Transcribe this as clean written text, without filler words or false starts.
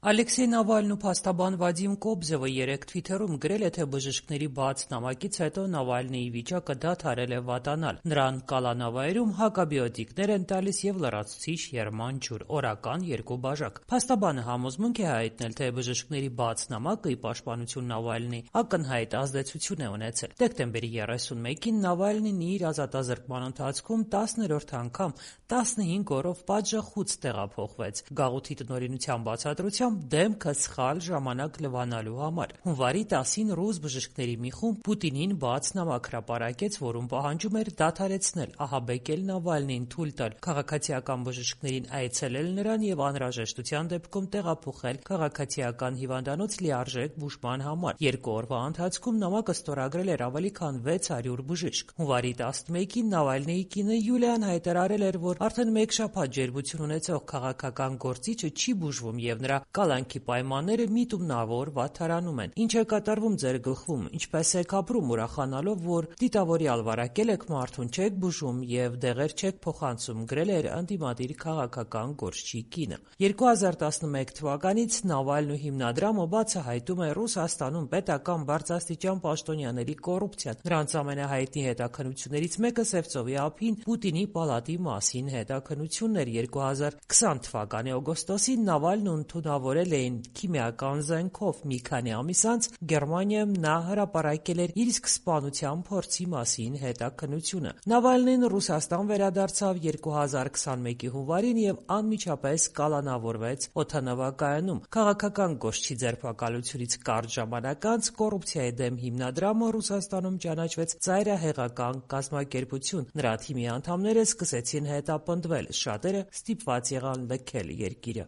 Ալեքսեյ Նավալնն ու փաստաբան Վադիմ Կոբզևը երեկ Թվիթերում գրել է, թե բժիշկների բաց նամակից հետո Նավալնիի վիճակը դադարել է վատանալ։ Նրան կալանավայրում հակաբիոտիկներ են տալիս եւ լրացուցիչ եռման ջուր՝ օրական 2 բաժակ։ Փաստաբանը համոզմունք է հայտնել, թե բժիշկների բաց նամակը, ի պաշտպանություն Նավալնիի, ակնհայտ ազդեցություն է ունեցել։ Դեկտեմբերի 31-ին Նավալնին իր ազատազրկման ընթացքում 10-րդ անգամ 15 օրով պատժախուց տեղափոխվեց՝ գաղութի տնօրինության բացատրությամբ դեմքը սխալ ժամանակ լվանալու համար։ Հունվարի 10-ին ռուս բժիշկների մի խումբ Պուտինին բաց նամակ հրապարակեց, որում պահանջում էր դադարեցնել, ահաբեկել Նավալնիին, թույլ տալ քաղաքացիական բժիշկներին այցելել նրան եւ անհրաժեշտության դեպքում տեղափոխել քաղաքացիական հիվանդանոց լիարժեք բուժման համար։ 2 օրվա ընթացքում նամակը ստորագրել էր ավելի քան 600 բժիշկ։ Հունվարի 11-ին Նավալնիի կինը Յուլիան հայտարարել էր, որ արդեն 1 շաբաթ ջերմություն ունեցող քաղաքական գործիչը չի բուժվում եւ նրա կալանքի պայմանները միտումնավոր վատթարանում են։ Ինչ է կատարվում ձեր գլխում, ինչպես եք ապրում ուրախանալով, որ դիտավորյալ վարակել եք մարդուն, չեք բուժում եւ դեղեր չեք փոխանցում, գրել էր ընդդիմադիր քաղաքական գործչի կինը։ 2011 թվականից Նավալնու հիմնադրամը բացահայտում է Ռուսաստանում պետական բարձրաստիճան պաշտոնյաների կոռուպցիան։ Նրանց ամենահայտնի հետաքննություններից մեկը Սևծովի ափին Պուտինի պալատի մասին հետաքննությունն էր։ 2020 թվականի օգոստոսին Նավալնուն ընդունավորել էին քիմիական զենքով։ Մի քանի ամիս անց Գերմանիայում նա հրապարակել էր իր սկսպանության փորձի մասին հետաքննությունը։ Նավալնին Ռուսաստան վերադարձավ 2021-ի հունվարին եւ անմիջապես կալանավորվեց օդանավակայանում։ Քաղաքական գործչի ձերբակալությունից կարճ ժամանակ անց կոռուպցիայի դեմ հիմնադրամը Ռուսաստանում ճանաչվեց ծայրահեղական կազմակերպություն։ Նրա թիմի անդամները սկսեցին հետապնդվել, շատերը ստիպված եղան լքել երկիրը։